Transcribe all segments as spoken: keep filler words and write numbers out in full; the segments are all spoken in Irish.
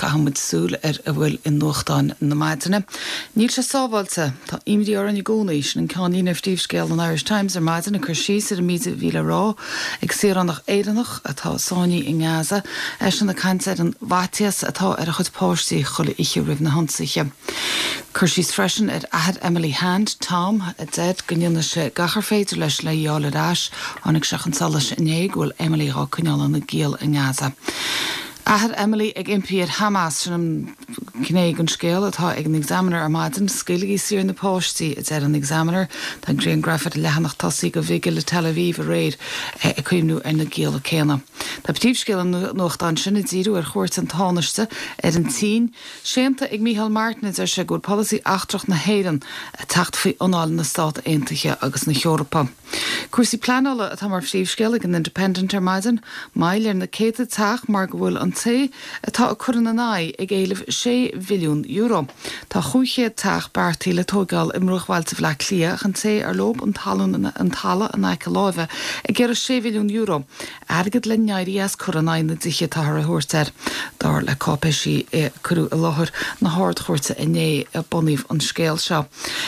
Caithfidh muid súil ar a bhfuil i nuachtáin na maidine. Níl sé sábháilte tá imní orainn i gcónaí sin an ceannlíne ar phríomhscéal an Irish Times ar maidin ag cur síos ar an méid a bhí le rá ag saoránach Éireannach atá sáinnithe i nGaza eisean ag caint ar an bhfaitíos atá ar a chuid páistí chuile oíche roimh na hionsaithe. Cur síos freisin ar athair Emily Hand Tom a deir go ndéanfaidh sé gach ar féidir leis le í a fháil ar ais tháinig sé chun solais inné go bhfuil Emily á coinneáil ina giall i nGaza. Athair Emily ag impí ar Hamas sin an ghné den scéal atá ag an Examiner ar maidin, scaoiligí saor na páistí a deir an Examiner, Tá grianghraf ar leathanach tosaigh de bhigil le Tel Aviv aréir ag cuimhniú ar na gialla céanna. Tá príomhscéal an nuachtáin sin ag díriú ar chuairt an Tánaiste ar an tSín, séanta ag Micheál Martin deir sé go bhfuil polasaí eachtrach na hÉireann ag teacht faoi anáil na Stát Aontaithe agus na hEorpa. Cúrsaí pleanála atá mar phríomhscéal ag an Independent ar maidin, moill ar na céadta teach mar go bhfuil an té atá ag cur ina n-aghaidh ag éileamh sé bhilliún euro. Tá chúig chéad teach beartaithe le tógáil i mbruachbhailte Bhaile Átha Cliath an té ar leo an talún an talamh in aice láimhe ag iarraidh sé bhilliún euro. Airgead le n-éirí as cur in aghaidh na dtithe atáthar a thabhairt air. Dar le cáipéisí a cuireadh i láthair na hArd-Chúirte inné a bunaíodh an scéal seo.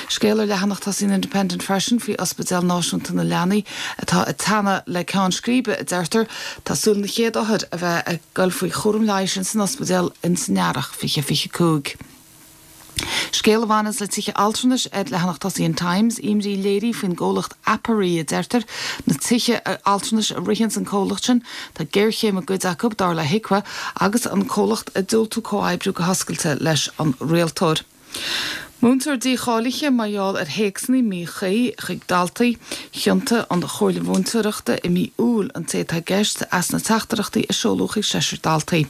Scéal ar leathanach tosaigh an Independent freisin faoi Ospidéal Náisiúnta na Leanaí atá ag teannadh le ceann scríbe a deirtear tá súil na chéad othair a bheith ag dul faoi chúram leighis san ospidéal in san earrach fiche fiche cúig. Scéal a bhaineanns le tithe altranais ar leathanach tosaigh an Times, imní léirithe faoin gcomhlacht Apari a deirtear na tithe altranais a ritheann an comhlacht sin, Tá géarchéim i gcuid acu dar le HIQA agus an comhlacht ag diúltú comhoibriú go hoscailte leis an rialtóir. Múinteoir dícháilithe mar gheall ar théacsanna míchuí chuig daltaí chiontaigh an Chomhairle Mhúinteoireachta i mí Iúil an té atá i gceist as na teachtaireachtaí a seoladh chuig seisear daltaí.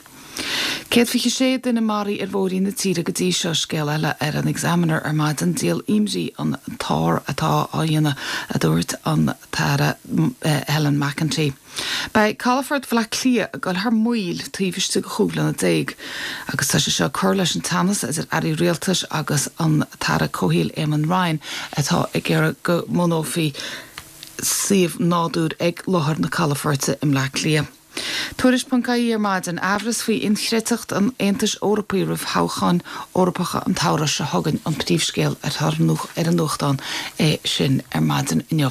Céad fiche sé duine maraithe ar bhóithrí na tíre go dtí seo scéal eile ar an Examiner ar maidin díol imní an t-ár atá á dhéanamh a dúirt an tAire Helen McEntee. Beidh Calafort Bhaile Átha Cliath ag dul thar maoil taobh istigh de chúig bliana déag, agus tá sé seo cur leis an teannas idir airí rialtais agus an tAire Comhshaoil Eamon Ryan atá ag iarraidh go mbunófaí suíomh nádúir ag láthair na calafoirte i mBleá Cliath. Tuairisc.ie ar maidin amhras faoi inchreidteacht an Aontais Eorpaigh roimh thoghcháin Eorpacha an tsamhraidh seo chugainn an príomhscéal ar an nuachtán é sin ar maidin inniu.